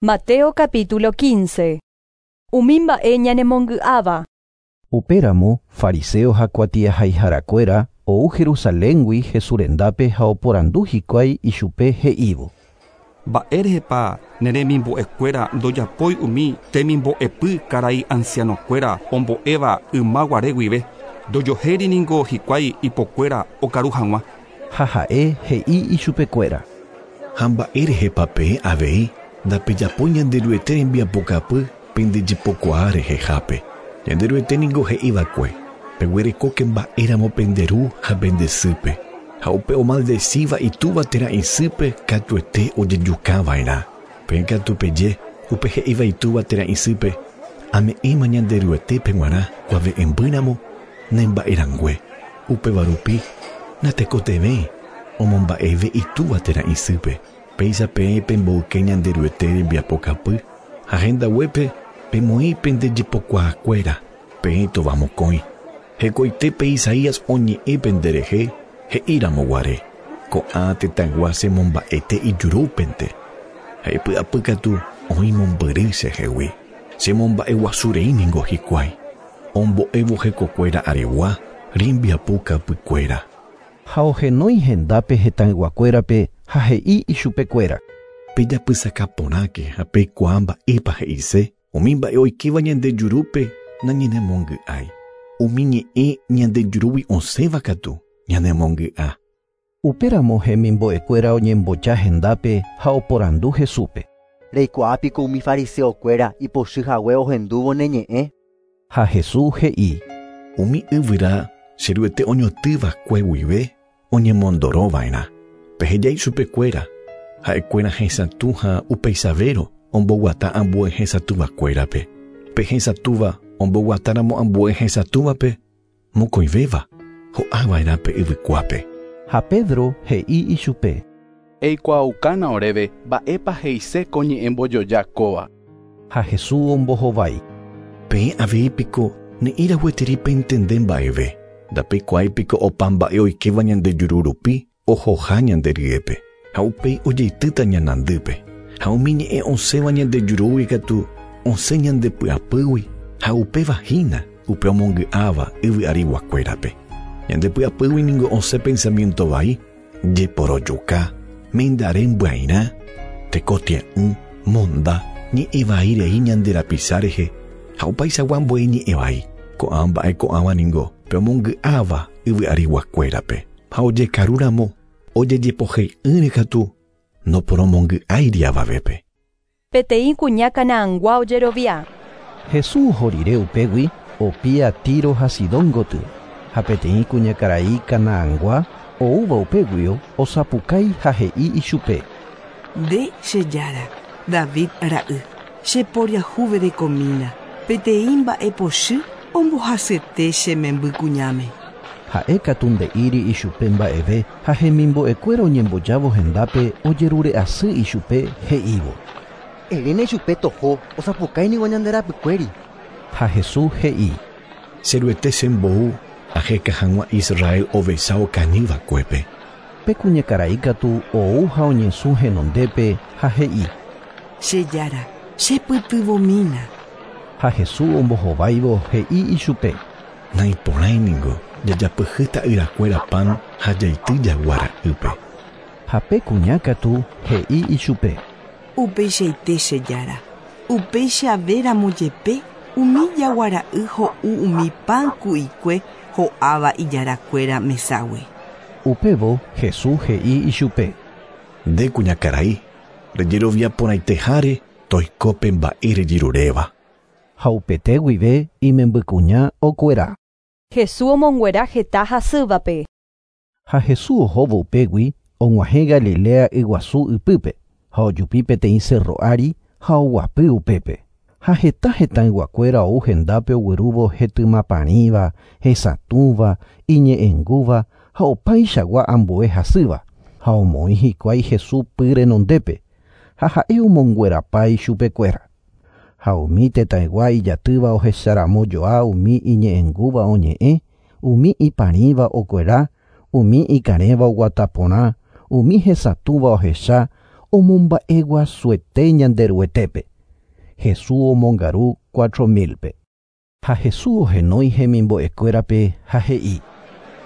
Mateo capítulo 15. Umi mba'e ñanemongy'áva. Upéramo fariseo ha kuatiahaiharakuéra ou Jerusaléngui Jesús rendápe ha oporandu hikuái ichupe he'ívo. Mba'érehepa ne remimbo'ekuéra ndojapói umi temimbo'epy karai ancianokuéra ombo'éva ymaguare guive ndojohéri niko hikuái ipokuéra okaru hag̃ua. Ha ha'e he'i ichupekuéra. Ha mba'érehepa peẽ avei ndapejapói Ñanderuete rembiapokapy pendejepokuaa rehehápe. Ñanderuete niko he'iva'ekue peguerekóke mba'éramo pende ru ha pende sýpe ha upe omaldecíva itúva térã isýpe katuete ojejukava'erã. Peẽ katu peje upe he'íva itúva térã isýpe ame'ẽma Ñanderuetépe g̃uarã kuave'ẽmbýramo nemba'erangue. Upéva rupi natekotevẽ omomba'eve itúva térã isýpe. Péicha peẽ pemboyke Ñanderuete rembiapokapy ha hendaguépe pemoĩ pendejepokuaakuéra peẽ tovamokõi. Hekoitépe Isaías oñe'ẽ penderehe he'íramoguare. Ko'ã tetãygua chemomba'ete ijurúpente. Ha ipy'apýkatu oĩ mombyry chehegui. Chemomba'eguasurei niko hikuái. Ombo'évo hekokuéra aregua rembiapokapykuéra. Ha ohenói hendápe hetãyguakuérape ha he'i ichupekuéra. Pejapysaka porãke ha peikuaa mba'épa he'ise umi mba'e oikéva ñande jurúpe nañanemongy'ái. Umi ñe'ẽ ñande jurúgui osẽva katu ñanemongy'a. Upéramo hemimbo'ekuéra oñemboja hendápe ha oporandu Jesúspe. Reikuaápiko umi fariseokuéra ipochyhague ohendúvo ne ñe'ẽ. Ha Jesús he'i. Umi yvyra cheruete oñotỹva'ekue guive oñemondorova'erã. Peheja ichupekuéra ha'ekuéra hesatũ ha upeichavérõ omboguata ambue hesatũvakuérape. Pe hesatũva omboguatáramo ambue hesatũvape mokõivéva ho'ava'erã pe yvykuápe. Ha Pedro he'i ichupe. Eikuaaukána oréve mba'épa he'ise ko ñe'ẽ mbojoja kóva. Ha Jesús ombohovái. Peẽ avei piko ne'ĩragueteri pentende mba'eve. Ndapeikuaáipiko opa mba'e oikéva ñande juru rupi ohoha ñande ryépe. Ha upéi ojeitýta ñanandýpe. Ha umi ñe'ẽ osẽva ñande jurúgui katu osẽ ñande py'apýgui ha upéva hína upe omongy'áva yvy ariguakuérape. Ñande py'apýgui niko osẽ pensamiento vai, jeporojuka, mendare mbyairã, tekotie'ỹ, monda, ñe'ẽ vai rei ñande rapicha rehe ha opaichagua ambue ñe'ẽ vai. Ko'ã mba'e ko'ãva niko pe omongy'áva yvy ariguakuérape. Ha ojekarúramo ojejepohei'ỹre katu noporomongy'áiri avavépe. Peteĩ kuña Canaangua ojerovia. Jesús oho rire upégui opia Tiro ha Sidón gotyo. Ha peteĩ kuñakarai Canaangua oúva upéguio osapukái ha he'i ichupe. Nde che jára, David ra'y, cheporiahuverekomína, peteĩ mba'epochy ombohasyete che memby kuñáme. Ha'e katu nde'íri ichupe mba'eve ha hemimbo'ekuéra oñembojávo hendápe ojerure'asy ichupe he'ívo. Eréna ichupe toho osapukái niko ñande rapykuéri. Ha Jesús he'i. Cheruete chembou aheka hag̃ua Israel ovecha okañyva'ekuépe. Pe kuñakarai katu ou ha oñesũ henondépe ha he'i. Che jára, chepytyvõmína. Ha Jesús ombohováivo he'i ichupe. Naiporãi niko jajapyhy ta'yrakuéra pan ha jaity jaguara'ýpe. Ha pe kuña katu he'i ichupe. Upeichaite che jára, upeichavéramo jepe umi jaguara'y ho'u umi pan ku'ikue ho'áva ijarakuéra meságui. Upévo Jesús he'i ichupe. Nde kuñakarai, rejerovia porãiteháre toikópe mba'e rejeruréva. Ha upete guive imembykuña okuera. Jesús omonguera heta hasývape. Ha Jesús ohóvo upégui og̃uahẽ Galilea yguasu ypýpe ha ojupi peteĩ cerro ári ha oguapy upépe. Ha heta hetãyguakuéra ou hendápe oguerúvo hetymaparĩva, hesatũva, iñe'ẽngúva ha opaichagua ambue hasýva ha omoĩ hikuái Jesús py renondépe ha ha'e omonguerapa ichupekuéra. Ha umi tetãygua ijatýva ohecharamo joa umi iñe'ẽngúva oñe'ẽ, umi iparĩva okuera, umi ikarẽva oguata porã, umi hesatũva ohecha, omomba'eguasuete Ñanderuetépe. Jesús omongaru 4000-pe. Ha Jesús ohenói hemimbo'ekuérape ha he'i: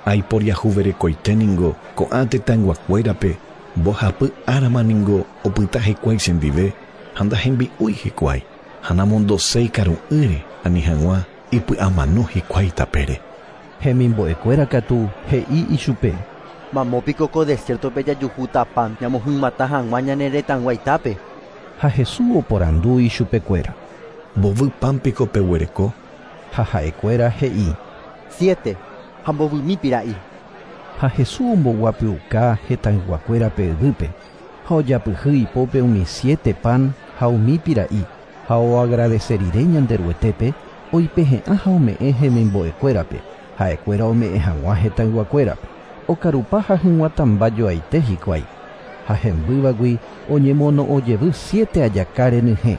Aiporiahuverekoite ningo ko'ã tetãyguakuérape mbohapy árama ningo opyta hikuái chendive ha ndahembi'úi hikuái ha namondoséi karu'ỹre ani hag̃ua ipy'amano hikuái tapére. Hemimbo'ekuéra katu he'i ichupe: Mamópiko ko desierto-pe jajuhúta pan ñamohyg̃uatã hag̃ua ñane retãyguaitápe. Ha Jesús oporandu ichupekuéra: Mbovy pan piko peguereko? Ha ha'ekuéra he'i: 7. Ha mbovymi pira'i. Ha Jesús omboguapyuka hetãyguakuérape yvýpe ha ojapyhy ipópe umi 7 pan ha umi pira'i ha oagradece rire Ñanderuetépe oipehe'ã ha ome'ẽ hemimbo'ekuérape ha'ekuéra ome'ẽ hag̃ua hetãyguakuérape. Okarupa ha hyg̃uatãmbajoaite hikuái. Ha hembývagui oñemono'õjevy 7 ajaka renyhẽ.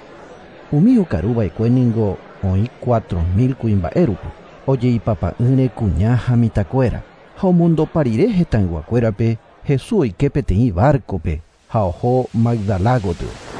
Umi okaruva'ekue ningo oĩ 4000 kuimba'e rupi, ojeipapa'ỹre kuña ha mitãkuéra. Ha omondopa rire hetãyguakuérape Jesús oike peteĩ barco-pe ha oho Magdala gotyo.